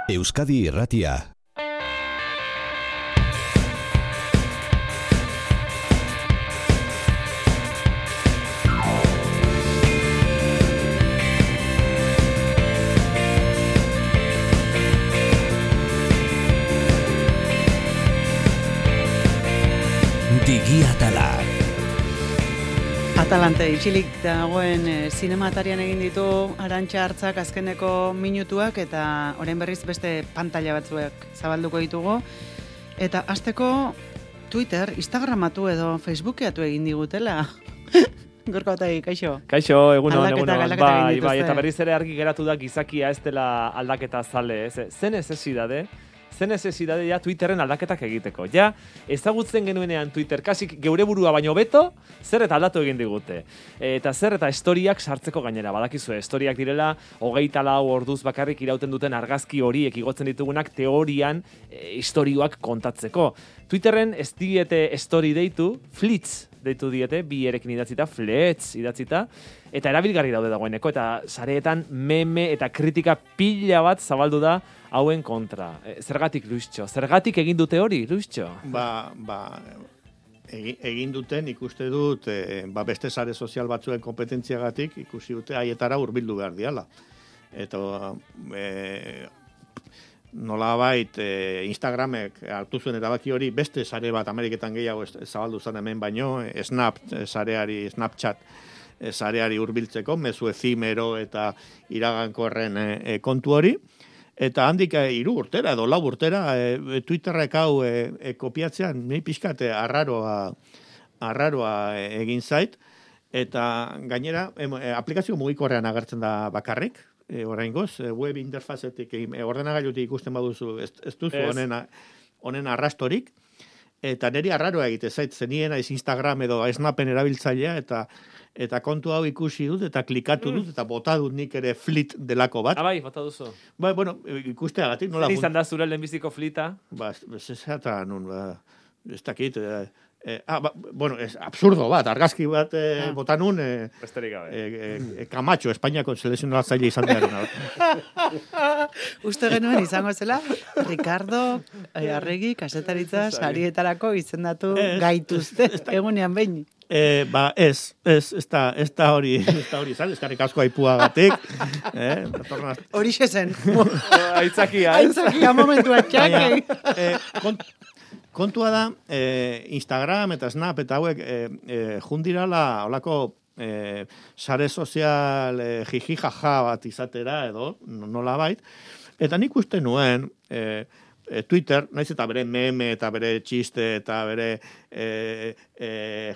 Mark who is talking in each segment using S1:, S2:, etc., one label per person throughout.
S1: Euskadi Irratia. Digi Atala.
S2: Atalante itxilik dagoen zinematarian egin ditu Arantxa Hartzak azkeneko minutuak eta orain berriz beste pantalla batzuek zabalduko ditugu. Eta hasteko Twitter, Instagramatu edo Facebookeatu egin digutela. Gorka Otegi, kaixo.
S3: Kaixo, egunon.
S2: Bai,
S3: eta berriz ere argi geratu da gizakia ez dela aldaketa zale, ez? Zen necesidade ja Twitterren aldaketak egiteko. Ja, ezagutzen genuenean Twitter, kasik geure burua baino beto, zer eta aldatu egin digute. Eta zer eta historiak sartzeko gainera, badakizue, historiak direla, 24 orduz bakarrik irauten duten argazki horiek igotzen ditugunak teorian istorioak kontatzeko. Twitterren ez diete story deitu, flits deitu diete, bi erekin idatzita, flets idatzita, eta erabilgarri daude dagoeneko, eta sareetan meme eta kritika pila bat zabaldu da hauen kontra. Zergatik, Luistxo? Zergatik egin dute hori, Luistxo?
S4: Egin duten ikuste dut, beste sare sozial batzuen kompetentziagatik ikusi dute haietara hurbildu behar diala. Eta nolabait Instagramek hartu zuen erabaki hori beste sare bat Ameriketan gehiago zabaldu zen hemen baino, Snapchat sareari hurbiltzeko, mezu efimero eta iragankorren kontu hori. Eta handik 3 urtera edo 4 urtera Twitterrek hau kopiatzean nahi pixkat arraroa egin zait. Eta gainera aplikazio mugikorrean agertzen da bakarrik. Oraingoz, web interfazetik ordenagailutik ikusten baduzu ez duzu honen arrastorik. Eta niri arraroa egite zait, zenien aiz Instagram edo Snapen erabiltzailea eta kontu hau ikusi dut eta klikatu dut eta bota dut nik ere flit delako bat.
S3: Bai, bota duzu.
S4: Bueno, ikusteagatik nola.
S3: Zer izan da zure lehenbiziko flita?
S4: Zezata nun, ez dakit. Es absurdo bat, argazki bat bota nun.
S3: Besterik gabe.
S4: Camacho, Espainiako selekzionatzaile izan behar.
S2: Uste genuen izango zela, Ricardo Arregi kasetaritza sarietarako izendatu gaituzte egunean behin.
S4: Ez da hori izan, eskarrik asko aipuagatik.
S2: Hori zen.
S3: Aitzakia
S2: momentua txakei.
S4: Kontua da, Instagram eta Snap eta hauek jundirala holako sare sozial jiji-jaja bat izatera edo, nola bait. Eta nik uste nuen Twitter, naiz eta bere meme eta bere txiste eta bere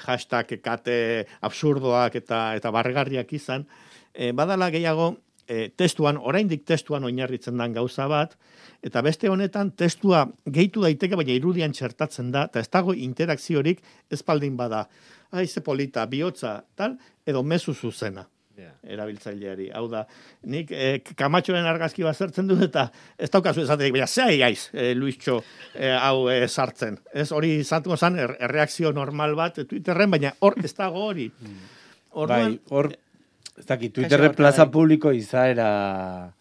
S4: hashtag kate absurdoak eta barregarriak izan, badala gehiago oraindik testuan oinarritzen dan gauza bat, eta beste honetan testua gehitu daiteke, baina irudian txertatzen da, eta ez dago interakziorik ezpaldin bada. Ze polita, bihotza, tal, edo mezu zuzena. Erabiltzaileari. Hau da, nik Kamatxoren argazki bat zertzen dut eta ez daukazu esaterik, baina zei aiz, Luistxo, hau sartzen. Ez hori izango zen erreakzio normal bat Twitterren, baina hor ez dago hori.
S5: Hor, ez dakit, Twitterren plaza publiko izaera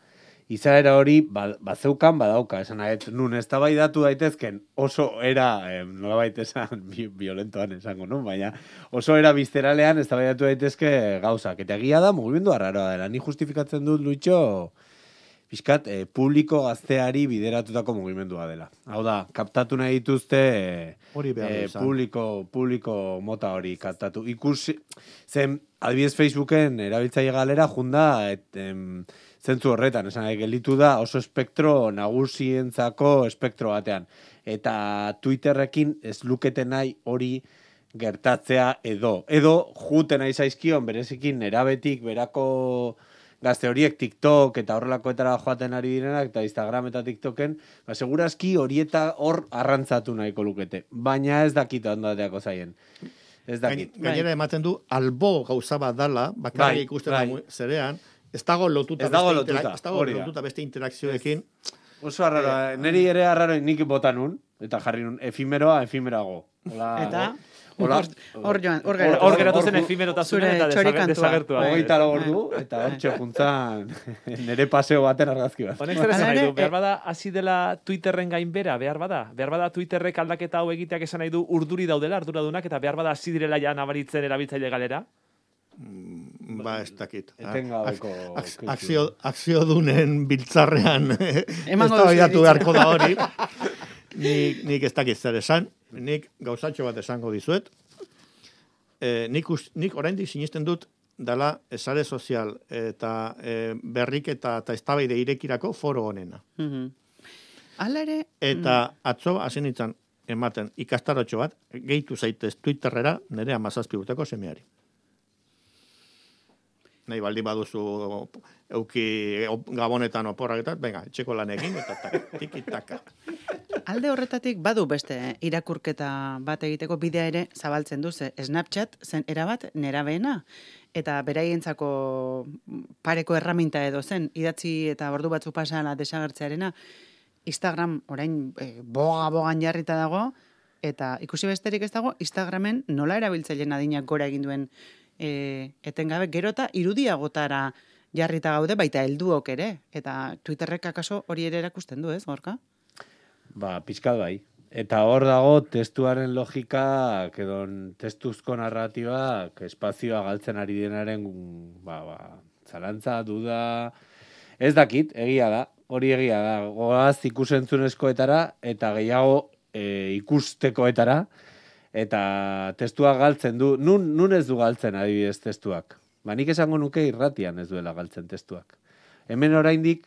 S5: hori bazeukan badauka, esan nun ez da bai datu daitezken oso era, nolabait esan violentoan esango, no? Baina oso era bizteralean ez da bai datu daitezke gauzak, eta egia da mugimendu arraroa dela, ni justifikatzen dut Luitxo pixkat publiko gazteari bideratutako mugimendua dela. Hau da, kaptatu nahi dituzte publiko mota hori kaptatu. Ikusi, zen adibidez Facebooken erabiltzaile galera junda zentzu horretan, esan gelditu da oso espektro nagusientzako espektro batean. Eta Twitterrekin ez lukete nahi hori gertatzea edo juten nahi zaizkion berezikin erabetik berako gazte horiek TikTok eta horrelakoetara joaten ari direnak eta Instagram eta TikToken, segurazki horieta hor arrantzatu nahiko lukete. Baina ez dakit ondateako zaien. Ez dakit.
S4: Gainera ematen du, albo gauza bat dala, bakarrik ikusten da zerean, ez dago lotuta beste interakzioekin.
S5: Oso arraroa, niri ere arraro nik botan nun, eta jarri nun, efimeroago.
S2: Eta? Hor joan, hor
S3: Hor geratu zen efimerotasunen eta desagertua.
S5: Hogeita ordu, eta hortxe juntzan nire paseo baten argazki bat.
S3: Honek zer esan nahi du, behar bada hasi dela Twitterren gainbera, behar bada Twitterrek aldaketa hau egiteak esan nahi du urduri daudela, arduradunak, eta behar bada hasi direla ja nabaritzen erabiltzaile galera?
S4: Ez dakit.
S5: Etengabeko
S4: Akziodunen biltzarrean eztabaidatu beharko da hori. Nik ez dakit zer esan, nik gauzatxo bat esango dizuet. Nik oraindik sinisten dut dela sare sozial eta berriketa eta eztabaide irekirako foro honena.
S2: Hala ere...
S4: Eta atzo hasi nintzen ematen ikastarotxo bat, gehitu zaitez Twitterrera nire 17 urteko semeari. Nahi baldin baduzu euki gabonetan oporrak eta, venga, etxeko lanekin, eta tiki-taka.
S2: Alde horretatik badu beste irakurketa bat egiteko bidea ere zabaltzen du, Snapchat zen erabat nerabeena. Eta beraientzako pareko erraminta edo zen, idatzi eta ordu batzu pasala desagertzearena, Instagram orain bogan jarrita dago, eta ikusi besterik ez dago, Instagramen nola erabiltzaileen adinak gora egin duen etengabe, gero eta irudiagotara jarrita gaude, baita helduok ere, eta Twitterrek akaso hori ere erakusten du, ez, Gorka?
S5: Pizkat bai. Eta hor dago testuaren logika, testuzko narratibak espazioa galtzen ari denaren zalantza, duda, ez dakit, egia da, hori egia da, goaz ikusentzunezkoetara eta gehiago ikustekoetara, eta testuak galtzen du, nun ez du galtzen adibidez testuak. Nik esango nuke irratian ez duela galtzen testuak. Hemen oraindik,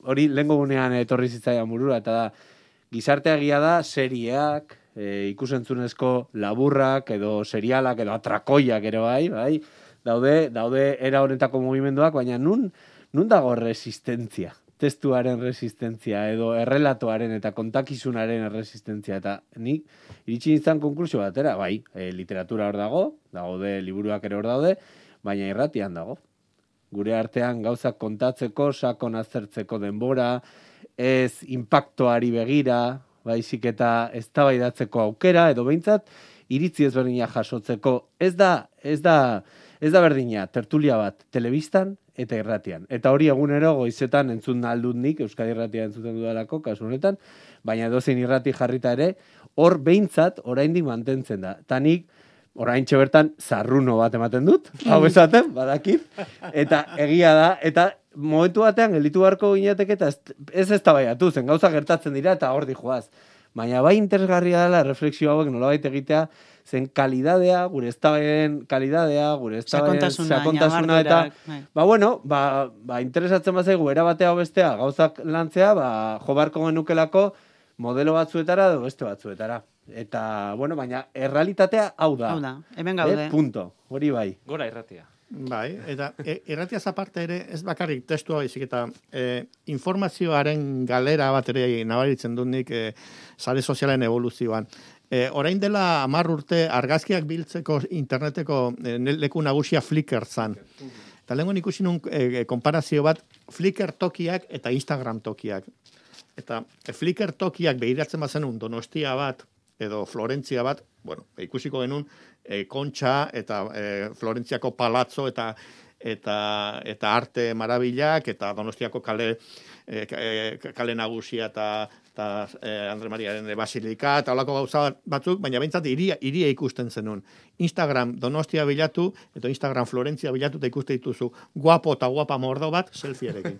S5: hori lehengo gunean etorri zitzaidan burura, eta da, gizartea egia da serieak, ikusentzunezko laburrak, edo serialak, edo atrakoiak ere bai, daude era honetako mugimenduak, baina nun dago resistentzia? Testuaren resistentzia, edo errelatoaren eta kontakizunaren resistentzia, eta nik iritsi nintzen konklusio batera, bai, literatura hor daude, liburuak ere hor daude, baina irratian dago. Gure artean gauzak kontatzeko, sakon aztertzeko denbora, ez impactoari begira, baizik eta eztabaidatzeko aukera, edo behintzat, iritzi ezberdina jasotzeko, ez da berdina, tertulia bat, telebistan eta irratian. Eta hori egunero goizetan entzun aldut nik, Euskadi Irratia entzuten dudalako, kasu honetan, baina edozein irrati jarrita ere, hor behintzat oraindik mantentzen da. Eta nik, oraintxe bertan, zarruno bat ematen dut, hau esaten, badakit, eta egia da, eta momentu batean gelditu beharko ginateke, eta ez eztabaidatu zen, gauza gertatzen dira, eta hor dijoaz. Baina bai interesgarria dela refleksio hauek nolabait egitea, zen kalidadea, gure eztabaiden kalidadea, gure eztabaiden sakontasuna eta interesatzen bazaigu erabatea o bestea gauzak lantzea, jo beharko genukelako modelo batzuetara edo beste batzuetara. Eta, baina errealitatea hau da.
S2: Hemen gaude.
S5: Punto, hori bai.
S3: Gora irratia.
S4: Bai, eta irratiaz aparte ere, ez bakarrik testua baizik eta informazioaren galera bat ere nabaritzen dut nik sare sozialen evoluzioan. Orain dela 10 urte argazkiak biltzeko interneteko leku nagusia Flickr zan. Eta lehenko ikusi nun konparazio bat Flickr tokiak eta Instagram tokiak. Eta Flickr tokiak behiratzen bazenun Donostia bat edo Florentzia bat, ikusiko genuen Kontxa eta Florentziako palazzo eta arte marabilak eta Donostiako kale nagusia eta Andre Mariaren basilika eta holako gauza batzuk, baina behintzat iria ikusten zenun. Instagram Donostia bilatu eta Instagram Florentzia bilatu eta ikuste dituzu guapo eta guapa mordo bat selfierekin.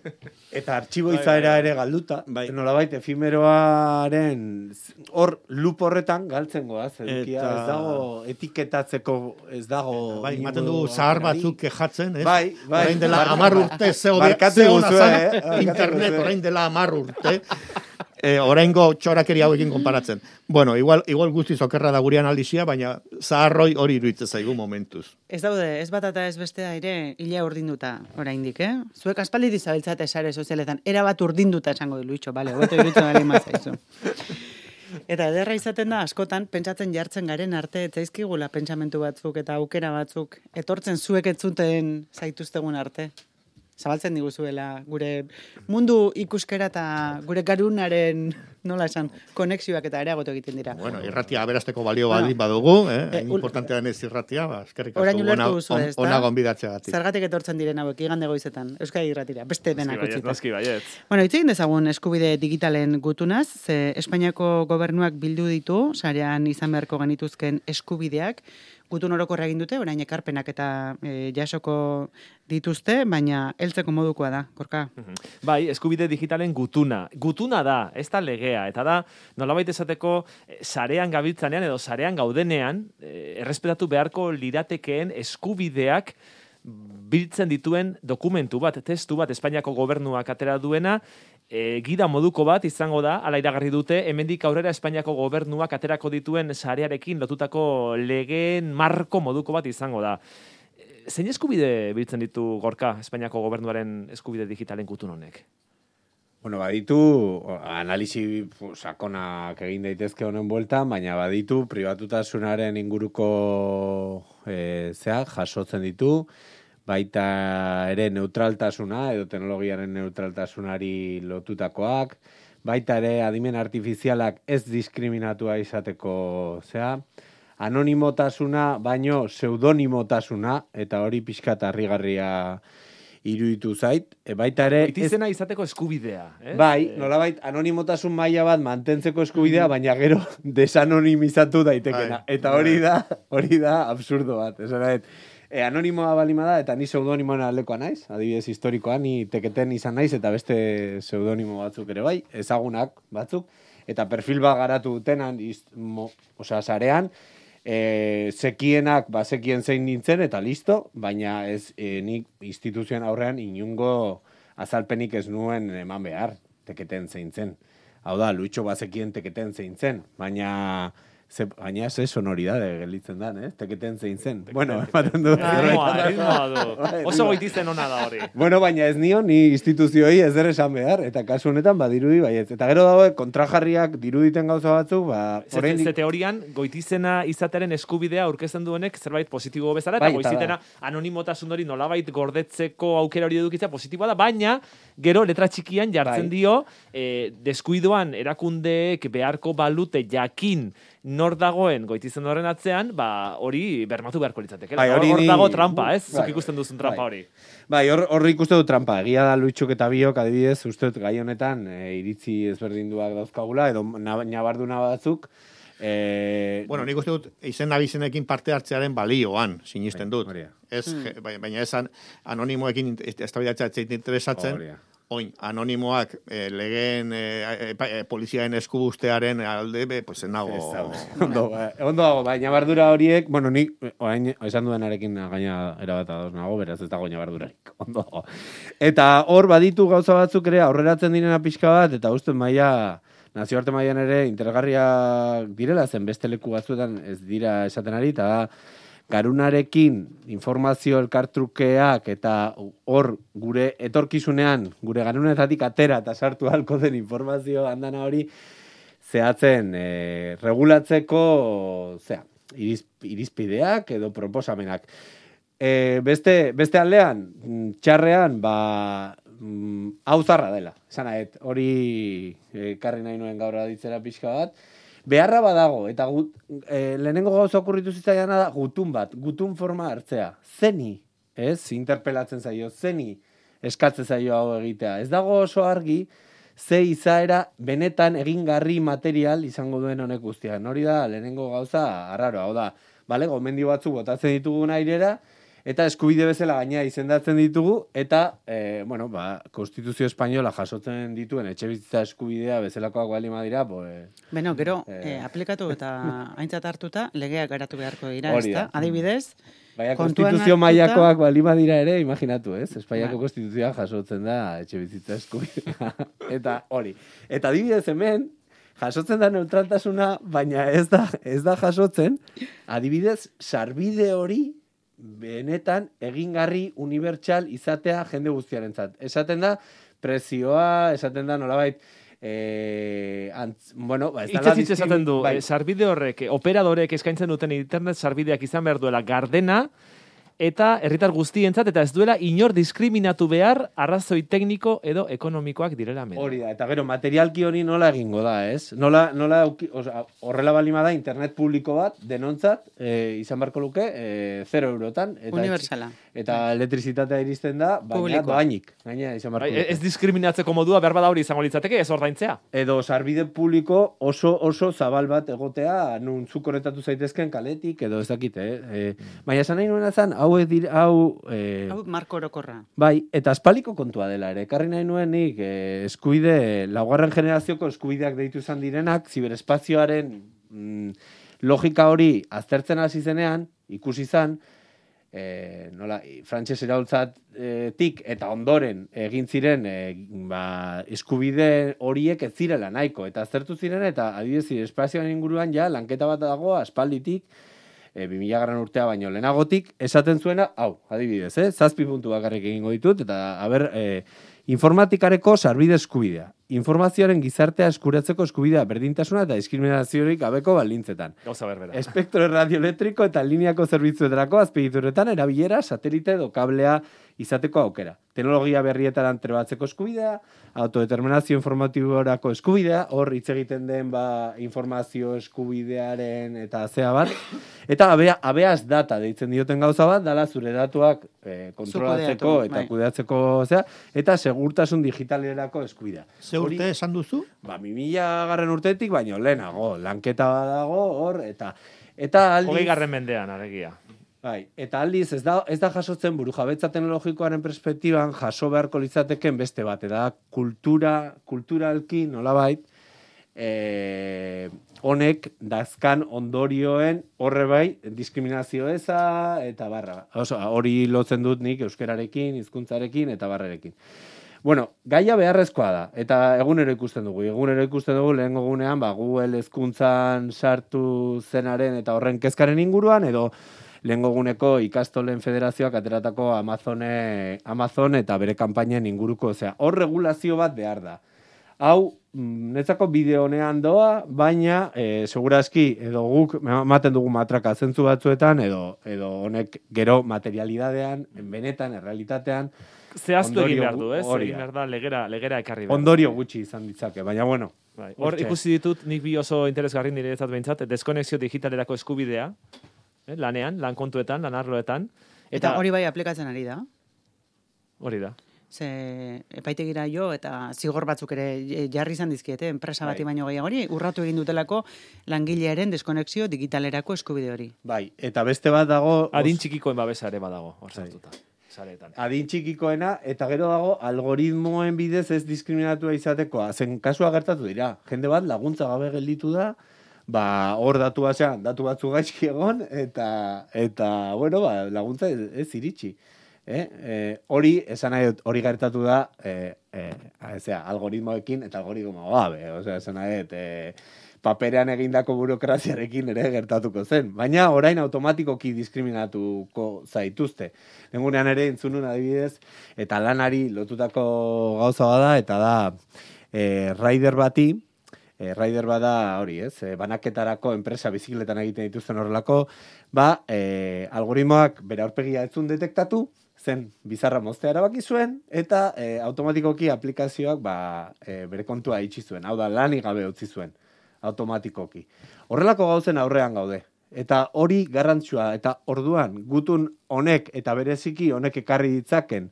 S5: Eta artxibo izaera ere galduta, nolabait efemeroaren hor lup horretan galtzen goaz, edukia ez dago etiketatzeko, ez dago...
S4: Ematen du zahar batzuk kejatzen, ez?
S5: Bai.
S4: Orain dela 10 urte zeona zan, internet orain dela 10 urte. Oraingo txorakeri hauekin konparatzen. Igual guztiz okerra da gurean aldizia, baina zaharroi hori iruditzen zaigu momentuz.
S2: Ez daude, ez bat eta ez bestea ere hila urdinduta oraindik, Zuek aspaldi dizabiltzate sare sozialetan, erabat urdinduta esango du Luitxo, bale, hobeto iruditzen bali mazaizu. Eta ederra izaten da, askotan, pentsatzen jartzen garen arte, etzaizkigula pentsamentu batzuk eta aukera batzuk, etortzen zuek etzuten zaituztegun arte. zabaltzen diguzuela gure mundu ikuskera eta gure garunaren, nola esan, konexioak eta areagotu egiten dira.
S4: Bueno, irratia aberasteko balio baldin badugu, importantea denez irratia, eskerrik
S2: Orain ulertu duzu, ez da?
S4: ona gonbidatzeagatik.
S2: Zergatik etortzen diren hauek igande goizetan, Euskadi Irratira, beste denak utzita.
S3: Noski baiet.
S2: Bueno, hitz egin dezagun eskubide digitalen gutunaz, ze Espainiako gobernuak bildu ditu, sarean izan beharko genituzken eskubideak, gutun orokorra egin dute, orain ekarpenak eta jasoko dituzte, baina heltzeko modukoa da, Gorka.
S3: Bai, eskubide digitalen gutuna. Gutuna da, ez da legea, eta da, nolabait esateko, sarean gabiltzanean edo sarean gaudenean, errespetatu beharko liratekeen eskubideak biltzen dituen dokumentu bat, testu bat, Espainiako gobernuak atera duena, gida moduko bat izango da, ala iragarri dute, hemendik aurrera Espainiako gobernuak aterako dituen sarearekin lotutako legeen marko moduko bat izango da. Zein eskubide biltzen ditu, Gorka, Espainiako gobernuaren eskubide digitalen gutun honek?
S5: Bueno, baditu, analisi sakonak egin daitezke honen bueltan, baina baditu, pribatutasunaren inguruko jasotzen ditu, baita ere neutraltasuna, edo teknologiaren neutraltasunari lotutakoak, baita ere adimen artifizialak ez diskriminatua izateko, anonimotasuna, baino pseudonimotasuna, eta hori pixkat harrigarria iruditu zait, baita ere...
S3: Goitizena izateko eskubidea, eh?
S5: Bai, nolabait, anonimotasun maila bat mantentzeko eskubidea, baina gero desanonimizatu daitekena. Eta hori da absurdo bat. Anonimoa balima da, eta ni pseudonimoen aldekoa naiz, adibidez historikoan, ni teketen izan naiz, eta beste pseudonimo batzuk ere bai, ezagunak batzuk, eta perfil bat garatu dutenan, sarean, sekienak, sekien zein nintzen, eta listo, baina ez nik instituzioen aurrean inungo azalpenik ez nuen eman behar, teketen zein zen. Hau da, Luitxo bazekien teketen zein zen, baina ze sonoridade gelditzen da, teketen zein zen. Bueno, ematen du.
S3: Oso goitizen ona da hori.
S5: Bueno, baina ez nion, ni instituzioi ez der esan behar, eta kasu honetan badirudi baietz. Eta gero dago, kontrajarriak diruditen gauza batzuk,
S3: Ze teorian, goitizena izateren eskubidea aurkezten duenek zerbait positibo bezala, eta goizitena anonimotasun hori nolabait gordetzeko aukera hori edukitzea positiboa da, baina gero letra txikian jartzen dio, deskuidoan erakundeek beharko balute jakin nor dagoen goitizen horren atzean, hori bermatu beharko litzateke. Hor dago trampa, ez? Zuk ikusten duzun trampa hori.
S5: Bai, hor ikusten du trampa. Egia da Luitxuk eta biok, adibidez, uste gai honetan iritzi ezberdinduak dauzkagula, edo nabarduna batzuk.
S4: Bueno, nik uste dut, izen abizenekin parte hartzearen balioan, sinisten dut. Baina ez anonimoekin eztabaidatzea interesatzen, oin, anonimoak legeen poliziaen eskubustearen alde, pues nago...
S5: Ondo dago, baina bardura horiek, bueno, nik, orain, esan duenarekin gaina erabat ados nago, beraz ez dago bardurarik, ondo dago. Eta hor baditu gauza batzuk ere aurreratzen direna pixka bat, eta uste nazioarte mailan ere interesgarriak direla, zen beste leku batzuetan ez dira esaten ari, eta garunarekin informazio elkartrukeak eta hor gure etorkizunean, gure garunetatik atera eta sartu halko den informazio handana hori zehatzen regulatzeko irizpideak edo proposamenak. Beste aldean, txarrean, hau zarra dela. Hori karri nahi nuen gaur aditzera pixka bat. Beharra badago, eta lehenengo gauza okurritu zitzaiana da gutun forma hartzea. Zeni, interpelatzen zaio, zeni eskatzen zaio hau egitea. Ez dago oso argi, ze izaera benetan egingarri material izango duen honek guztian. Hori da, lehenengo gauza arraro, hau da, gomendio batzuk botatzen ditugun airera, eta eskubide bezala gaina izendatzen ditugu, eta, Konstituzio Espainola jasotzen dituen etxebizitza eskubidea bezalakoak balima dira,
S2: Beno, gero, aplikatu eta aintzat hartuta, legeak garatu beharko dira, ezta? Adibidez,
S5: baina Konstituzio mailakoak balima dira ere, imaginatu, ez? Espainiako Konstituzioa jasotzen da etxebizitza eskubidea. Eta hori. Eta adibidez hemen, jasotzen da neutraltasuna, baina ez da jasotzen, adibidez, sarbide hori, benetan egingarri unibertsal izatea jende guztiarentzat. Esaten da prezioa, esaten da nolabait
S3: Itzez esaten du, sarbide horrek, operadorek eskaintzen duten internet sarbideak izan behar duela gardena, eta herritar guztientzat, eta ez duela inor diskriminatu behar arrazoi tekniko edo ekonomikoak direla medio.
S5: Hori da, eta gero, materialki hori nola egingo da, ez? Nola horrela balima da internet publiko bat, denontzat, izan beharko luke, 0 eurotan. Eta
S2: Universala.
S5: Eta elektrizitatea iristen da, baina doainik. Gaina, izan beharko luke.
S3: Ez diskriminatzeko modua behar bada hori izango litzateke, ez ordaintzea.
S5: Edo sarbide publiko oso zabal bat egotea, nun zu konektatu zaitezken kaletik, edo ez dakit, baina esan nahi nuen azan, hau
S2: Marko Orokorra.
S5: Bai, eta aspaldiko kontua dela ere. Ekarri nahi nuen nik eskubide, laugarren generazioko eskubideak deitu izan direnak, ziberespazioaren logika hori aztertzen hasi zenean, ikusi izan, frantses iraultzatik eta ondoren egin ziren eskubide horiek ez zirela nahiko. Eta aztertu ziren, eta adibidez ziberespazioaren inguruan ja lanketa bat dago aspalditik, 2000 urtea baino lehenagotik, esaten zuena, adibidez, 7 puntu bakarrik egingo ditut, eta, informatikareko sarbide eskubidea. Informazioaren gizartea eskuratzeko eskubidea, berdintasuna eta diskriminaziorik gabeko baldintzetan.
S3: Gauza berbera.
S5: Espektro radioelektriko eta lineako zerbitzuetarako azpiegituretan erabilera, satelite edo kablea izateko aukera. Teknologia berrietan trebatzeko eskubidea, autodeterminazio informatiborako eskubidea, hor hitz egiten den informazio eskubidearen eta zea bat, eta abeaz data deitzen dioten gauza bat, dala zure datuak kontrolatzeko eta kudeatzeko zea, eta segurtasun digitalerako eskubidea.
S4: Ze urte esan duzu?
S5: 2000 urtetik, baino lehenago, lanketa dago hor, eta aldiz...
S3: 20. mendean, alegia.
S5: Bai, eta aldiz ez da jasotzen burujabetza teknologikoaren perspektiban jaso beharko litzateken beste bat, eta kulturalki nolabait honek dazkan ondorioen horre bai diskriminazio eza eta barra. Hori lotzen dut nik euskerarekin, hizkuntzarekin eta barrerekin. Bueno, gaia beharrezkoa da, eta egunero ikusten dugu lehen egunean, Google hezkuntzan sartu zenaren eta horren kezkaren inguruan, edo lehengo eguneko ikastolen federazioak ateratako Amazon eta bere kanpainen inguruko, hor regulazio bat behar da. Hau, netzako bideo honean doa, baina segurazki edo guk ematen dugu matraka zentzu batzuetan, edo honek gero materialidadean, benetan, errealitatean,
S3: zehaztu egin behar du, ez? Egin behar da, legera ekarri behar.
S5: Ondorio gutxi izan ditzake, baina bueno.
S3: Hor ikusi ditut, nik bi oso interesgarri niretzat behintzat, deskonexio digitalerako eskubidea, lanean, lan kontuetan, lan arloetan.
S2: Eta hori bai aplikatzen ari da.
S3: Hori da.
S2: Ze epaitegira jo eta zigor batzuk ere jarri izan dizkiete, enpresa bati baino gehiago hori, urratu egin dutelako langilearen deskonexio digitalerako eskubide hori.
S5: Bai, eta beste bat dago...
S3: Adin txikikoen babesa ere badago, hor sartuta.
S5: Adin txikikoena, eta gero dago algoritmoen bidez ez diskriminatua izatekoa. Zen kasua gertatu dira. Jende bat laguntza gabe gelditu da, hor datu batzu gaizki egon, eta bueno, laguntza ez iritsi. Hori, esan nahi hori gertatu da, algoritmoekin eta algoritmo gabe. Esan nahi paperean egindako burokraziarekin ere gertatuko zen. Baina orain automatikoki diskriminatuko zaituzte. Nengunean ere entzunun adibidez, eta lanari lotutako gauza bada, eta da rider bati, rider bada hori, banaketarako enpresa bizikletan egiten dituzten horrelako, algoritmoak bere aurpegia etzun detektatu, zen bizarra moztea erabaki zuen, eta automatikoki aplikazioak bere kontua itxi zuen. Hau da, lanik gabe utzi zuen. Automatikoki. Horrelako gauzen aurrean gaude. Eta hori garrantzua, eta orduan gutun honek eta bereziki honek ekarri ditzaken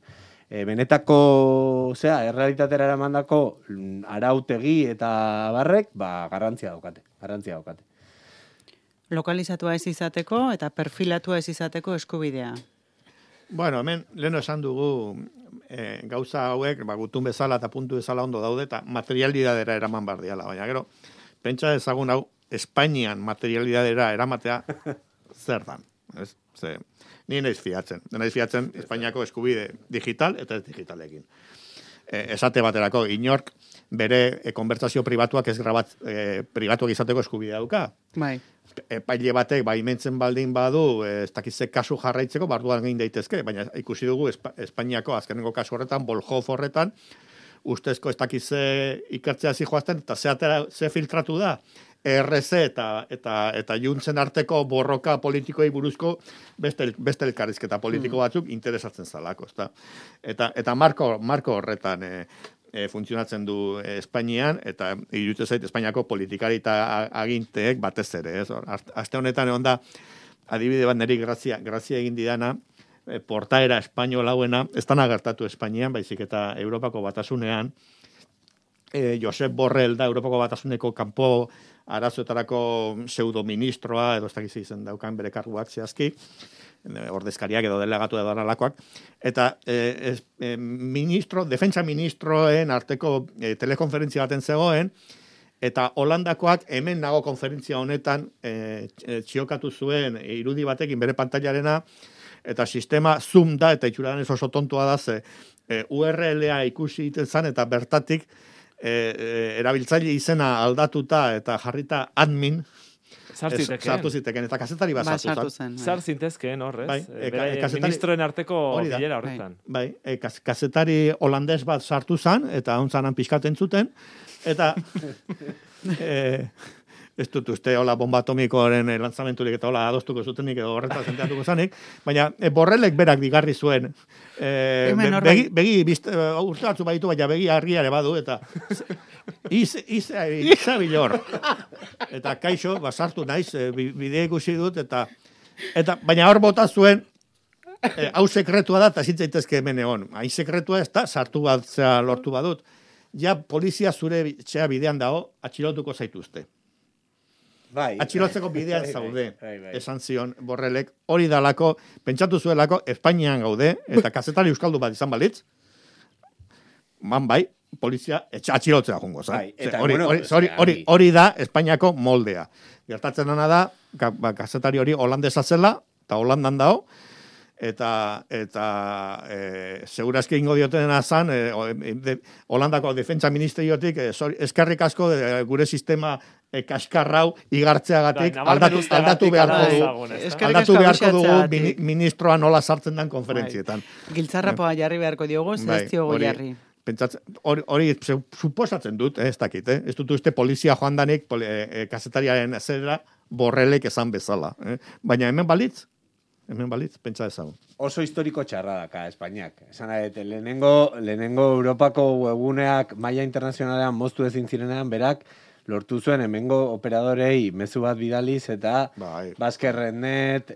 S5: benetako, errealitatera eramandako arautegi eta barrek, garrantzia daukate.
S2: Lokalizatua ez izateko eta perfilatua ez izateko eskubidea.
S4: Bueno, hemen leheno esan dugu gauza hauek, gutun bezala eta puntu bezala ondo daude, eta materialidadera eraman bardiala, baina gero, pentsa ezagun hau, Espainian materialidadera eramatea zer dan. Ni naiz fiatzen Espainiako eskubide digital eta ez digitalekin. Esate baterako, inork bere konbertsazio pribatuak ez pribatuak izateko eskubidea dauka.
S2: Bai.
S4: Epaile batek baimentzen baldin badu, ez dakitze kasu jarraitzeko, barduan egin daitezke, baina ikusi dugu Espainiako azkenengo kasu horretan, Bolhof horretan, ustezko ez dakitze ikertzea zijoazten, eta ze filtratu da, ERC eta Juntzen arteko borroka politikoei buruzko beste elkarrizketa politiko batzuk interesatzen zalako, ezta. Eta marko horretan funtzionatzen du Espainian, eta iruditzen zait Espainiako politikari eta aginteek batez ere, ez? Aste honetan egon da, adibide bat niri grazia egin didana, portaera espainola hauena, ez dana gertatu Espainian, baizik eta Europako Batasunean, Josep Borrell da Europako Batasuneko kanpo arazoetarako pseudoministroa, edo ez dakiz izen daukan bere karguak zehazki, ordezkariak edo delegatu edo analakoak, eta defentsa ministroen arteko telekonferentzia baten zegoen, eta Holandakoak hemen nago konferentzia honetan txiokatu zuen irudi batekin bere pantailarena, eta sistema Zoom da, eta itxuradan oso tontua da, ze URL-a ikusi egiten zan, eta bertatik erabiltzaile izena aldatuta eta jarrita admin, sartu ziteken, eta kazetari bat sartu zen.
S3: Sar zintezkeen horrez,
S4: Bai,
S3: ministroen arteko bilera horretan.
S4: Bai, kazetari holandez bat sartu zen, eta ontzanan pixkaten zuten, eta ez dut uste hola bomba atomikoaren lanzamenturik eta hola adostuko zutenik edo horretan zenteatuko zanik, baina Borrellek berak digarri zuen begi urte batzu baditu, baina begi harriare badu, eta izabilor. Eta kaixo, basartu naiz, bidea ikusi dut, eta baina hor bota zuen, hau sekretua da, eta zintzaitezke hemen egon. Hain sekretua ez da, sartu bat lortu badut. Ja, polizia zure txea bidean dago, atxilotuko zaituzte.
S5: Bai.
S4: Atxilotzeko bidean zaude, esan zion Borrellek, hori dalako, pentsatu zuelako, Espainian gaude, eta kazetari euskaldu bat izan balitz, bai, polizia atxilotzea jongo, hori da Espainiako moldea. Gertatzen dena da, kazetari hori holandesa zela, eta Holandan dago, eta segurazki ingo diotena zan, Holandako defentsa ministeriotik, eskerrik asko gure sistema kaskarrau igartzeagatik aldatu beharko dugu ministroa nola sartzen den konferentzietan.
S2: Giltzarrapoa jarri beharko diogu, ez diogu jarri.
S4: Hori suposatzen dut, ez dakit, ez dut uste polizia joan danik kazetariaren zera Borrellek esan bezala. Baina hemen balitz, pentsa ezagun.
S5: Oso historiko txarra daka Espainiak. Esan lehenengo Europako webuneak maila internazionalean moztu ezin zirenean berak lortu zuen hemengo operadorei mezu bat bidaliz eta Baskerrenet,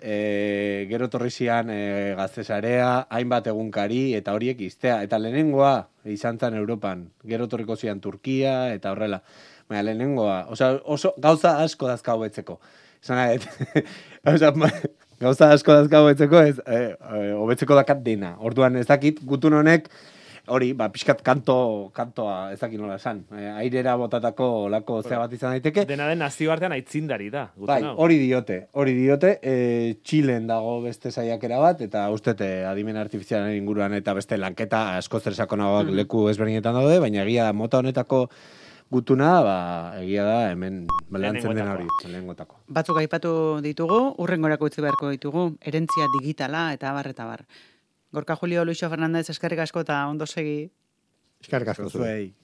S5: gero torrizian Gaztesarea, hainbat egunkari eta horiek iztea. Eta lehenengoa izan zen Europan, gero torriko zian Turkia eta horrela. Baina lehenengoa, oso gauza asko dazka hobetzeko. Esan gauza asko dazka hobetzeko, hobetzeko dakat dena. Orduan ez dakit, gutun honek, hori, pixkat kantoa ez dakit nola esan. Airera botatako olako zea bat izan daiteke.
S3: Dena den nazioartean aitzindari da.
S5: Bai, hori diote. Txilen dago beste saiakera bat, eta ustete adimen artifizialen inguruan eta beste lanketa asko zersakonagoak leku ezberdinetan daude, baina egia mota honetako gutuna, egia da, hemen lantzen den hori, lehengotako.
S2: Batzuk aipatu ditugu, urrengorako utzi beharko ditugu, herentzia digitala eta bar. Gorka Julio, Luixo Fernandez, eskerrik asko eta ondo segi.
S4: Eskerrik asko zuei.